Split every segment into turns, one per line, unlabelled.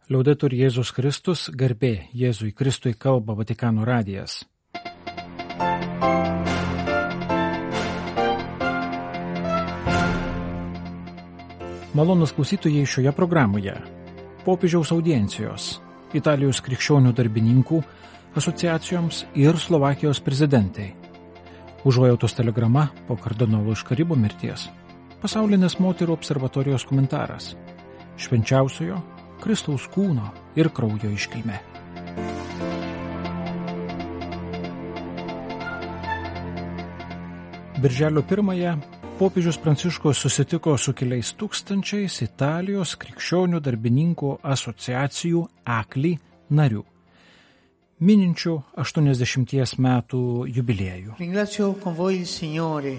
Liaudetur Jėzus Kristus, garbė Jėzui Kristui, kalba Vatikano radijas. Malonūs klausytojai, šioje programoje popiežiaus audiencijos, Italijos krikščionių darbininkų asociacijoms ir Slovakijos prezidentai, užuojautos telegrama po kardinolo iš Karibų mirties, pasaulinės moterų observatorijos komentaras, švenčiausiojo Kristaus kūno ir kraujo iškilmė. Birželio 1-ąją popiežius Pranciškus susitiko su keliais tūkstančiais Italijos krikščionių darbininkų asociacijų ACLI narių, mininčių 80 metų jubiliejų.
Ringrazio con voi il Signore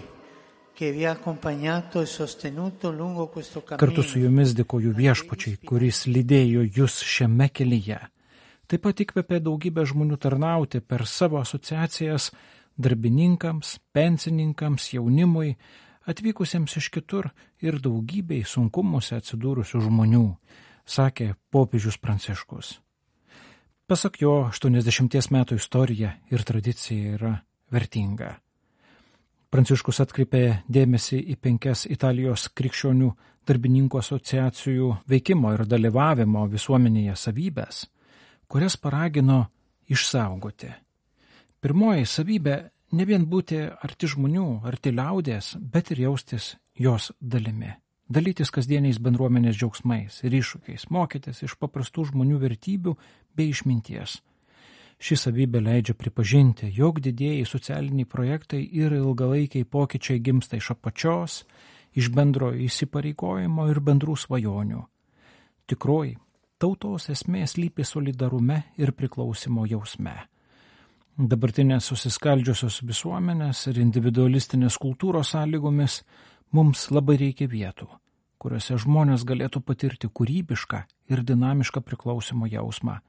che vi ha accompagnato e sostenuto lungo questo cammino.
Kartu su jumis dėkoju Viešpačiui, kuris lydėjo jūs šiame kelyje. Taip pat įkvėpė daugybę žmonių tarnauti per savo asociacijas darbininkams, pensininkams, jaunimui, atvykusiems iš kitur ir daugybei sunkumuose atsidūrusių žmonių, sakė popiežius Pranciškus. Pasak jo, 80 metų istorija ir tradicija yra vertinga. Pranciškus atkreipė dėmesį į 5 Italijos krikščionių darbininkų asociacijų veikimo ir dalyvavimo visuomenėje savybės, kurias paragino išsaugoti. Pirmoji savybė – ne vien būti arti žmonių, arti liaudės, bet ir jaustis jos dalimi. Dalytis kasdieniais bendruomenės džiaugsmais ir iššūkiais, mokytis iš paprastų žmonių vertybių bei išminties. Ši savybė leidžia pripažinti, jog didieji socialiniai projektai ir ilgalaikiai pokyčiai gimsta iš apačios, iš bendro įsipareigojimo ir bendrų svajonių. Tikroji tautos esmė slypi solidarume ir priklausimo jausme. Dabartinės susiskaldžiusios visuomenės ir individualistinės kultūros sąlygomis mums labai reikia vietų, kuriuose žmonės galėtų patirti kūrybišką ir dinamišką priklausimo jausmą,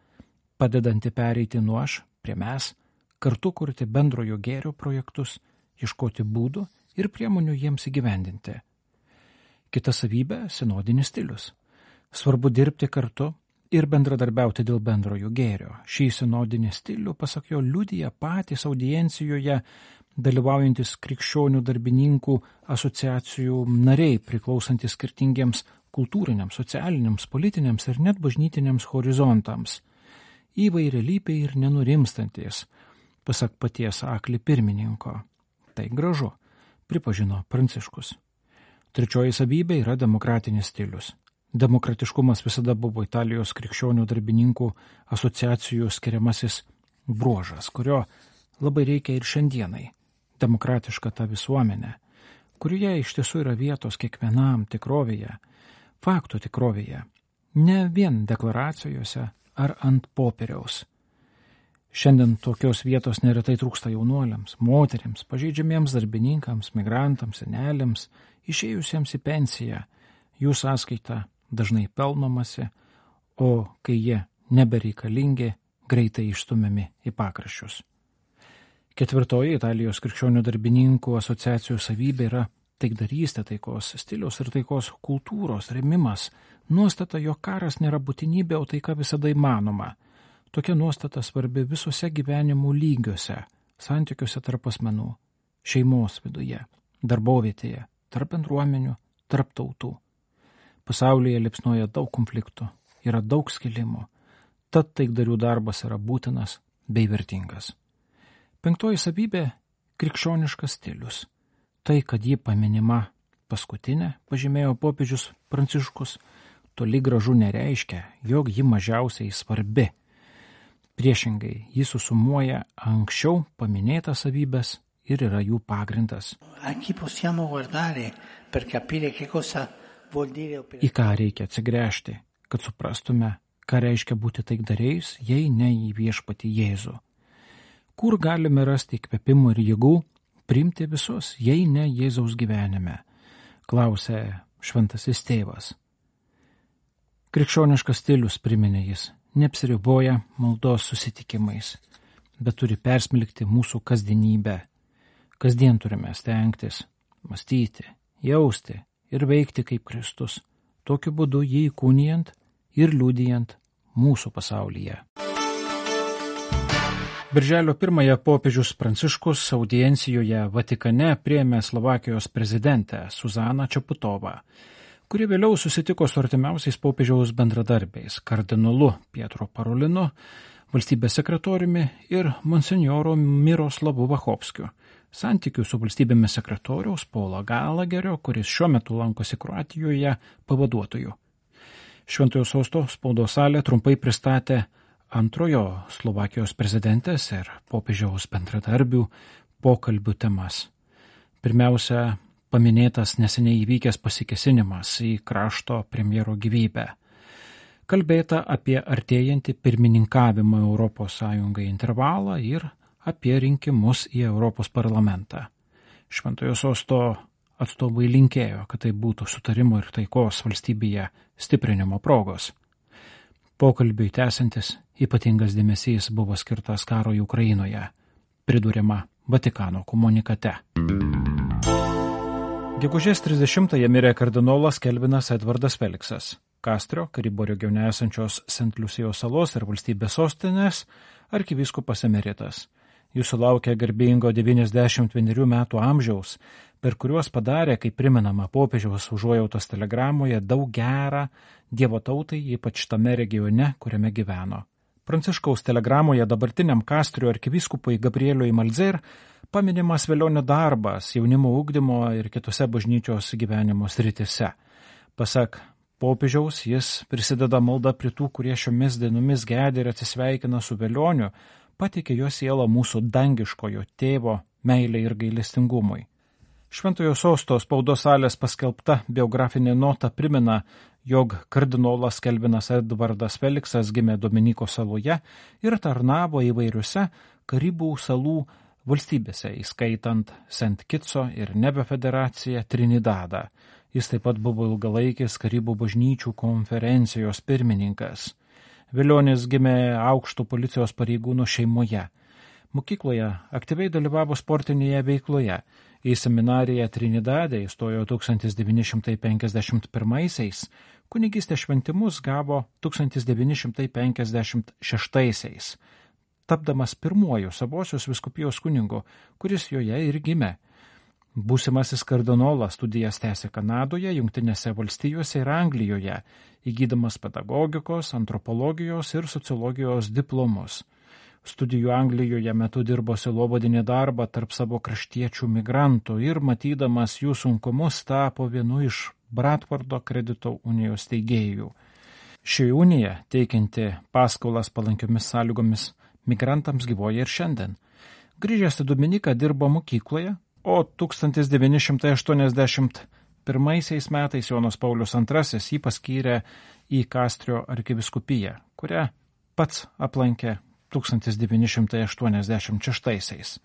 padedanti pereiti nuo aš prie mes, kartu kurti bendrojo gėrio projektus, ieškoti būdų ir priemonių jiems įgyvendinti. Kita savybė – sinodinis stilius. Svarbu dirbti kartu ir bendradarbiauti dėl bendrojo gėrio. Šį sinodinį stilių, pasak jo, liudija patys audiencijoje dalyvaujantis krikščionių darbininkų asociacijų nariai, priklausantis skirtingiems kultūriniams, socialiniams, politiniams ir net bažnytiniams horizontams. Įvairialypiai ir nenurimstantis, pasak paties ACLI pirmininko. Tai gražu, pripažino Pranciškus. Trečioji savybė yra demokratinis stilius. Demokratiškumas visada buvo Italijos krikščionių darbininkų asociacijų skiriamasis bruožas, kurio labai reikia ir šiandienai. Demokratiška ta visuomenė, kurioje iš tiesų yra vietos kiekvienam tikrovėje, faktų tikrovėje, ne vien deklaracijose ar ant popieriaus. Šiandien tokios vietos neretai trūksta jaunuoliams, moterims, pažeidžiamiems darbininkams, migrantams, seneliams, išėjusiems į pensiją, jų sąskaita dažnai pelnomasi, o kai jie nebereikalingi, greitai išstumiami į pakraščius. Ketvirtoji Italijos krikščionių darbininkų asociacijų savybė yra taikdarystė, taikos stiliaus ir taikos kultūros rėmimas, nuostata, jog karas nėra būtinybė, o taika visada įmanoma. Tokia nuostata svarbi visose gyvenimo lygiuose, santykiuose tarp asmenų, šeimos viduje, darbovietėje, tarp bendruomenių, tarp tautų. Pasaulyje liepsnoja daug konfliktų, yra daug skilimų, tad taikdarių darbas yra būtinas bei vertingas. 5 savybė – krikščioniškas stilius. Tai, kad ji paminima paskutinė, pažymėjo popiežius Pranciškus, toli gražu nereiškia, jog ji mažiausiai svarbi. Priešingai, ji susumuoja anksčiau paminėtas savybės ir yra jų pagrindas. Į ką reikia atsigręžti, kad suprastume, ką reiškia būti taikdariais, jei ne į Viešpatį Jėzų. Kur galime rasti įkvėpimų ir jėgų priimti visus, jei ne Jėzaus gyvenime, klausė šventasis tėvas. Krikščioniškas stilius, priminė jis, neapsiriboja maldos susitikimais, bet turi persmelkti mūsų kasdienybę. Kasdien turime stengtis, mąstyti, jausti ir veikti kaip Kristus, tokiu būdu jį įkūnijant ir liudijant mūsų pasaulyje. Birželio 1 popiežius Pranciškus audiencijoje Vatikane priėmė Slovakijos prezidentę Zuzaną Čaputovą, kuri vėliau susitiko su artimiausiais popiežiaus bendradarbiais kardinolu Pietro Parolinu, valstybės sekretoriumi ir monsinjoru Miroslavu Vachovskiu. Santykių su valstybėmis sekretoriaus Paulo Galagerio, kuris šiuo metu lankosi Kroatijoje, pavaduotoju. Šventojo sosto spaudos salė trumpai pristatė antrojo Slovakijos prezidentės ir popiežiaus bendradarbių pokalbių temas. Pirmiausia, paminėtas neseniai įvykęs pasikėsinimas į krašto premjero gyvybę. Kalbėta apie artėjantį pirmininkavimą ES intervalą ir apie rinkimus į Europos parlamentą. Šventojo sosto atstovai linkėjo, kad tai būtų sutarimo ir taikos valstybėje stiprinimo progos. Pokalbiui tęsiantis, ypatingas dėmesys buvo skirtas karui Ukrainoje, priduriama Vatikano komunikate. Gegužės 30-ąją mirė kardinolas Kelvinas Edvardas Feliksas, Kastrio, Karibo regione esančios Sent Liusijos salos ir valstybės sostinės arkivyskupas emeritas. Jis sulaukė garbingo 91 metų amžiaus, per kuriuos padarė, kaip primenama popiežiaus užuojautos telegramoje, daug gerą Dievo tautai, ypač tame regione, kuriame gyveno. Pranciškaus telegramoje dabartiniam Kastrio arkivyskupui Gabrieliui Malzer paminimas velionio darbas jaunimo ugdymo ir kitose bažnyčios gyvenimo srityse. Pasak popiežiaus, jis prisideda malda prie tų, kurie šiomis dienomis gedi ir atsisveikina su velioniu, pateikė jo sielą mūsų dangiškojo tėvo meilei ir gailestingumui. Šventojo sosto spaudos salės paskelbta biografinė nota primena, jog kardinolas Kelvinas Edvardas Feliksas gimė Dominiko saloje ir tarnavo įvairiuose Karibų salų valstybėse, įskaitant Sent Kitso ir Nebe federaciją Trinidadą. Jis taip pat buvo ilgalaikis Karibų bažnyčių konferencijos pirmininkas. Velionis gimė aukšto policijos pareigūnų šeimoje. Mokykloje aktyviai dalyvavo sportinėje veikloje. Į seminariją Trinidade įstojo 1951, kunigystės šventimus gavo 1956, tapdamas pirmuoju savosios vyskupijos kunigu, kuris joje ir gimė. Būsimasis kardinolas studijas tęsė Kanadoje, Jungtinėse valstijose ir Anglijoje, įgydamas pedagogikos, antropologijos ir sociologijos diplomus. Studijų Anglijoje metu dirbo sielovadinį darbą tarp savo kraštiečių migrantų ir, matydamas jų sunkumus, tapo vienu iš Bradfordo kredito unijos steigėjų. Ši unija, teikianti paskolas palankiomis sąlygomis migrantams, gyvoja ir šiandien. Grįžęs į Dominiką dirbo mokykloje, o 1981 metais Jonas Paulius II jį paskyrė į Kastrio arkiviskupiją, kurią pats aplankė 1986.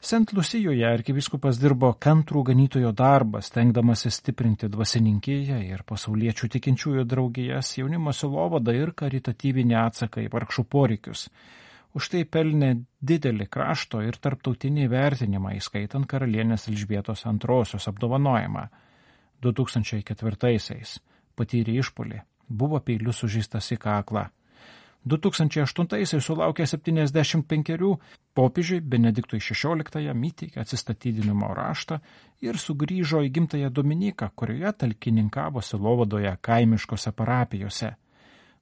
Sent Liusijoje arkivyskupas dirbo kantrų ganytojo darbą, stengdamasis stiprinti dvasininkiją ir pasauliečių tikinčiųjų draugijas, jaunimo sielovadą ir karitatyvinį atsaką į vargšų poreikius. Už tai pelnė didelį krašto ir tarptautinį vertinimą, įskaitant karalienės Elžbietos II apdovanojimą. 2004 patyrė išpuolį, buvo peiliu sužeistas į kaklą. 2008 sulaukė 75, popiežiui Benediktui XVI įteikė atsistatydinimo raštą ir sugrįžo į gimtąją Dominiką, kurioje talkininkavo sielovadoje kaimiškose parapijose.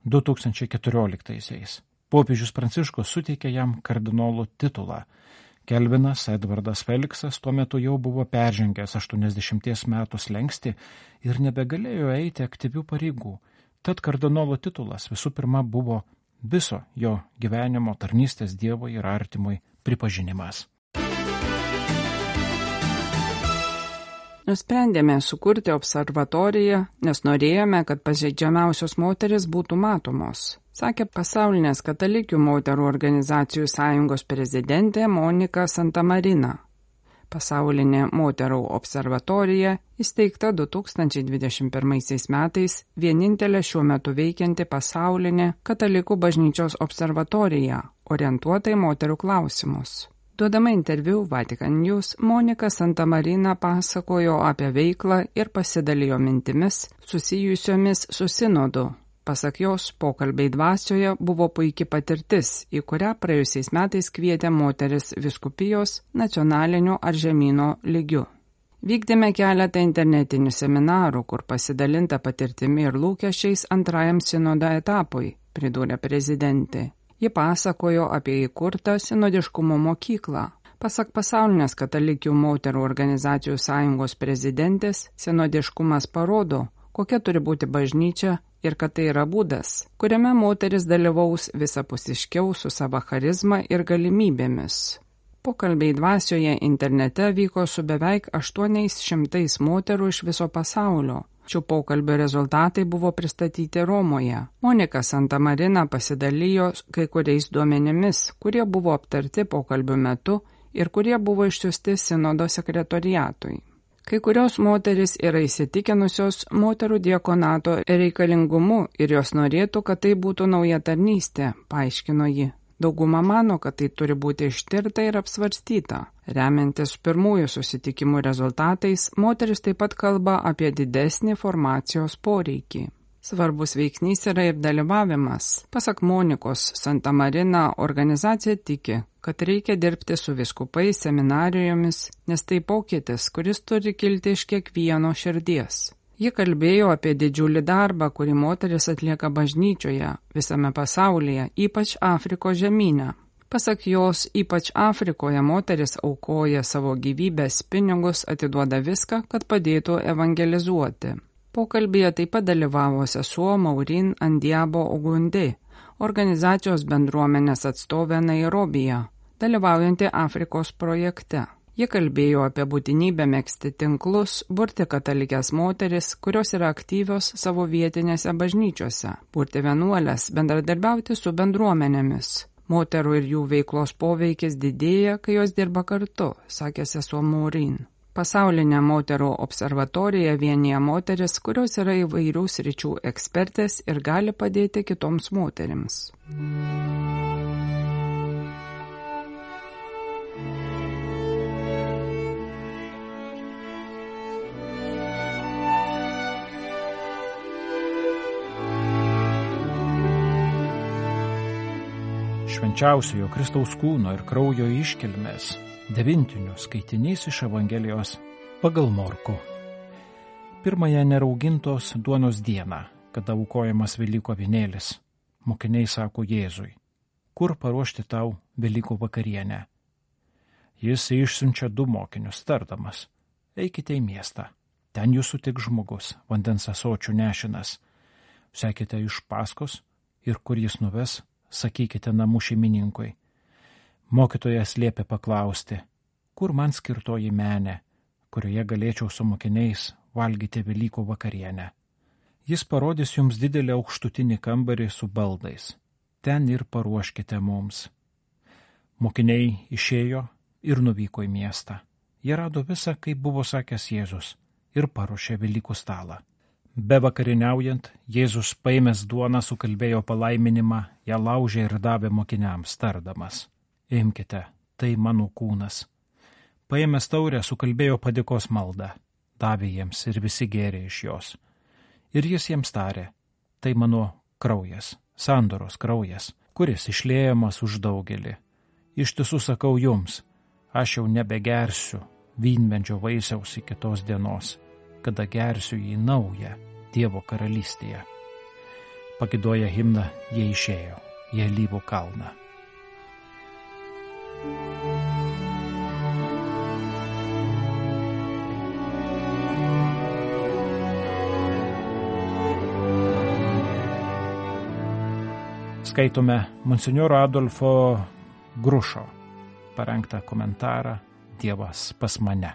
2014 popiežius Pranciškus suteikė jam kardinolų titulą. Kelvinas Edvardas Feliksas tuo metu jau buvo peržengęs 80 metų slenkstį ir nebegalėjo eiti aktyvių pareigų. Tad kardinolo titulas visų pirma buvo viso jo gyvenimo tarnystės Dievui ir artimui pripažinimas.
Nusprendėme sukurti observatoriją, nes norėjome, kad pažeidžiamiausios moteris būtų matomos, sakė Pasaulinės katalikių moterų organizacijų sąjungos prezidentė Monika Santamarina. Pasaulinė moterų observatorija įsteigta 2021 metais, vienintelė šiuo metu veikianti pasaulinė katalikų bažnyčios observatorija, orientuota į moterų klausimus. Duodama interviu Vatican News, Monika Santamarina pasakojo apie veiklą ir pasidalijo mintimis susijusiomis su sinodu. Pasak jos, pokalbiai dvasioje buvo puikia patirtis, į kurią praėjusiais metais kvietė moteris vyskupijos nacionaliniu ar žemyno lygiu. Vykdėme keletą internetinių seminarų, kur pasidalinta patirtimi ir lūkesčiais antrajam sinodo etapui, pridūrė prezidentė. Ji pasakojo apie įkurtą sinodiškumo mokyklą. Pasak pasaulinės katalikių moterų organizacijų sąjungos prezidentės, sinodiškumas parodo, kokia turi būti bažnyčia ir kad tai yra būdas, kuriame moteris dalyvaus visapusiškiau su savo charizma ir galimybėmis. Pokalbiai dvasioje internete vyko su beveik 800 moterų iš viso pasaulio. Šių pokalbių rezultatai buvo pristatyti Romoje. Monika Santamarina pasidalijo kai kuriais duomenimis, kurie buvo aptarti pokalbių metu ir kurie buvo išsiųsti sinodo sekretoriatui. Kai kurios moteris yra įsitikinusios moterų diakonato reikalingumu ir jos norėtų, kad tai būtų nauja tarnystė, paaiškino ji. Dauguma mano, kad tai turi būti ištirta ir apsvarstyta. Remiantis pirmųjų susitikimų rezultatais, moteris taip pat kalba apie didesnį formacijos poreikį. Svarbus veiksnys yra ir dalyvavimas. Pasak Monikos Santamarina, organizacija tiki, kad reikia dirbti su vyskupais, seminarijomis, nes tai pokytis, kuris turi kilti iš kiekvieno širdies. Ji kalbėjo apie didžiulį darbą, kurį moteris atlieka bažnyčioje, visame pasaulyje, ypač Afrikos žemyne. Pasak jos, ypač Afrikoje moteris aukoja savo gyvybės, pinigus, atiduoda viską, kad padėtų evangelizuoti. Pokalbėje taip pat dalyvavo sesuo Maureen Andiabo Ogunde, organizacijos bendruomenės atstovė Nairobije, dalyvaujanti Afrikos projekte. Ji kalbėjo apie būtinybę megzti tinklus, burti katalikės moteris, kurios yra aktyvios savo vietinėse bažnyčiose, burti vienuolės, bendradarbiauti su bendruomenėmis. Moterų ir jų veiklos poveikis didėja, kai jos dirba kartu, sakė sesuo Maureen. Pasaulinė moterų observatorija vienija moteris, kurios yra įvairių sričių ekspertės ir gali padėti kitoms moterims.
Švenčiausiojo Kristaus kūno ir kraujo iškilmės 9 skaitinys iš Evangelijos pagal Morkų. Pirmąją neraugintos duonos dieną, kada aukojamas Velykų avinėlis, mokiniai sako Jėzui, kur paruošti tau Velykų vakarienę. Jis išsiunčia 2 mokinius, tardamas, eikite į miestą, ten jūs sutiks žmogus, vandens ąsočių nešinas, sekite iš paskos ir kur jis nuves, sakykite namų šeimininkui. Mokytojas liepė paklausti, kur man skirtoji menė, kurioje galėčiau su mokiniais valgyti Velykų vakarienę. Jis parodys jums didelį aukštutinį kambarį su baldais. Ten ir paruoškite mums. Mokiniai išėjo ir nuvyko į miestą. Jie rado visą, kaip buvo sakęs Jėzus, ir paruošė Velykų stalą. Be vakarieniaujant, Jėzus paėmęs duoną sukalbėjo palaiminimą, ją laužė ir davė mokiniams, tardamas, imkite, tai mano kūnas. Paėmęs taurę sukalbėjo padėkos maldą, davė jiems ir visi gėrė iš jos. Ir jis jiems tarė, tai mano kraujas, sandoros kraujas, kuris išliejamas už daugelį. Iš tiesų sakau jums, aš jau nebegersiu vynmedžio vaisiaus iki tos dienos, kada gersiu jį naują Dievo karalystėje. Pagidoję himną jie išėjo į Alyvų kalną. Skaitome monsinjoro Adolfo Grušo parengtą komentarą Dievas pas mane.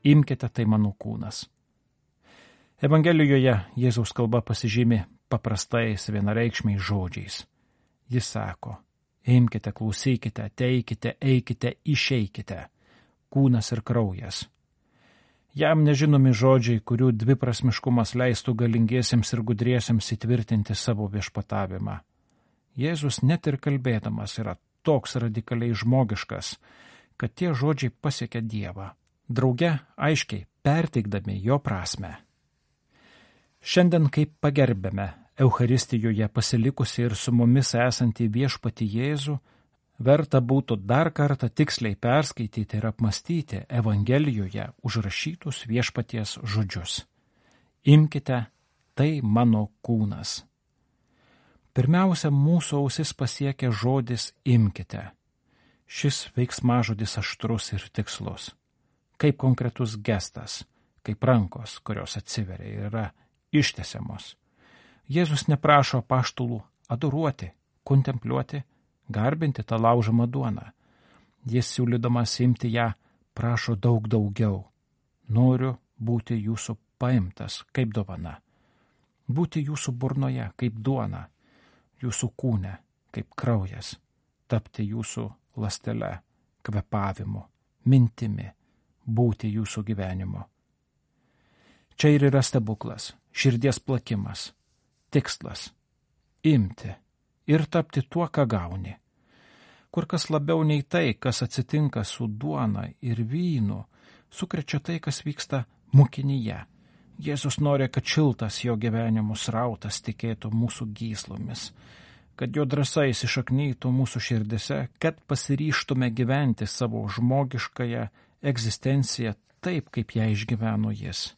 Imkite, tai mano kūnas. Evangelijoje Jėzaus kalba pasižymi paprastais vienareikšmiais žodžiais. Jis sako, imkite, klausykite, ateikite, eikite, išeikite, kūnas ir kraujas. Jam nežinomi žodžiai, kurių dviprasmiškumas leistų galingiesiems ir gudriesiems įtvirtinti savo viešpatavimą. Jėzus net ir kalbėdamas yra toks radikaliai žmogiškas, kad tie žodžiai pasiekia Dievą, drauge aiškiai perteikdami jo prasmę. Šiandien, kaip pagerbėme Eucharistijoje pasilikusi ir su mumis esantį viešpatį Jėzų, verta būtų dar kartą tiksliai perskaityti ir apmastyti Evangelijoje užrašytus viešpaties žodžius. Imkite, tai mano kūnas. Pirmiausia, mūsų ausis pasiekia žodis imkite. Šis veiksmažodis aštrus ir tikslus. Kaip konkretus gestas, kaip rankos, kurios atsiveria ir yra ištesiamos. Jėzus neprašo apaštalų adoruoti, kontempliuoti, garbinti tą laužomą duoną. Jis siūlydamas imti ją prašo daug daugiau. Noriu būti jūsų paimtas kaip dovana. Būti jūsų burnoje kaip duona, jūsų kūne kaip kraujas, tapti jūsų ląstele, kvėpavimu, mintimi, būti jūsų gyvenimo. Čia ir yra stebuklas, širdies plakimas, tikslas – imti ir tapti tuo, ką gauni. Kur kas labiau nei tai, kas atsitinka su duona ir vynu, sukrečia tai, kas vyksta mokinyje. Jėzus nori, kad šiltas jo gyvenimo srautas tikėtų mūsų gyslomis, kad jo drąsa įsišaknytų mūsų širdise, kad pasiryžtume gyventi savo žmogiškąją egzistenciją taip, kaip ją išgyveno jis.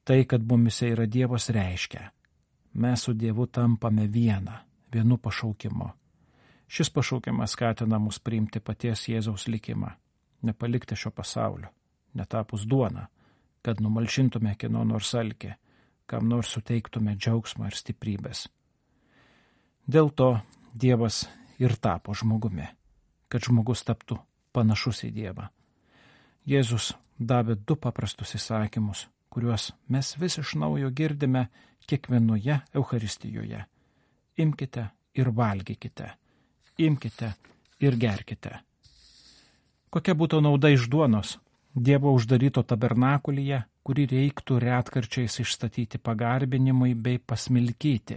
Tai, kad mumise yra Dievas, reiškia, mes su Dievu tampame vienu pašaukimu. Šis pašaukimas skatina mus priimti paties Jėzaus likimą, nepalikti šio pasaulio, netapus duona, kad numalšintume kieno nors alkį, kam nors suteiktume džiaugsmą ir stiprybės. Dėl to Dievas ir tapo žmogumi, kad žmogus taptų panašus į Dievą. Jėzus davė 2 paprastus įsakymus, kuriuos mes vis iš naujo girdime kiekvienoje Eucharistijoje. Imkite ir valgykite, imkite ir gerkite. Kokia būtų nauda iš duonos, Dievo uždaryto tabernakulyje, kurį reiktų retkarčiais išstatyti pagarbinimui bei pasmilkyti?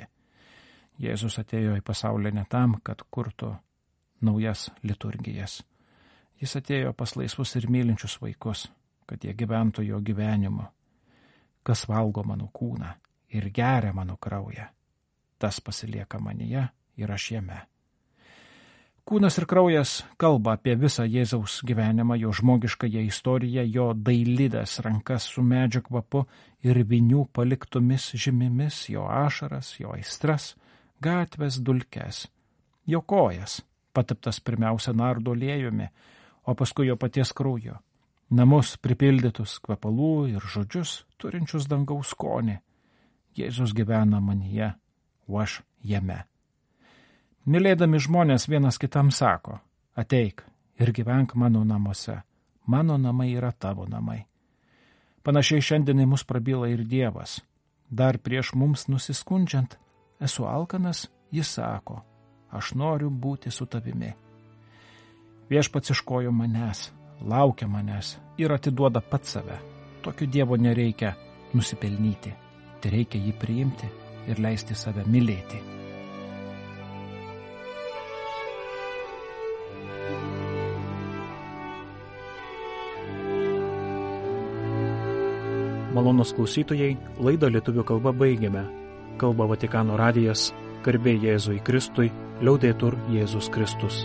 Jėzus atėjo į pasaulį ne tam, kad kurtų naujas liturgijas. Jis atėjo pas laisvus ir mylinčius vaikus, kad jie gyventų jo gyvenimu. Kas valgo mano kūną ir geria mano kraują, tas pasilieka manyje ir aš jame. Kūnas ir kraujas kalba apie visą Jėzaus gyvenimą, jo žmogiškąją istoriją, jo dailidės rankas su medžio kvapu ir vinių paliktomis žymimis, jo ašaras, jo aistras, gatvės dulkes, jo kojas, pateptas pirmiausia nardo aliejumi, o paskui jo paties kraujo, namus pripildytus kvepalų ir žodžius turinčius dangaus skonį. Jėzus gyvena manyje, o aš jame. Mylėdami žmonės vienas kitam sako, ateik ir gyvenk mano namuose, mano namai yra tavo namai. Panašiai šiandienai mus prabyla ir Dievas. Dar prieš mums nusiskundžiant, esu alkanas, jis sako, aš noriu būti su tavimi. Viešpats ieškojo manęs, laukia manęs ir atiduoda pats save. Tokio Dievo nereikia nusipelnyti, tai reikia jį priimti ir leisti save mylėti.
Malonūs klausytojai, laidą lietuvių kalba baigėme. Kalba Vatikano radijas, garbė Jėzui Kristui, liaudetur Jėzus Kristus.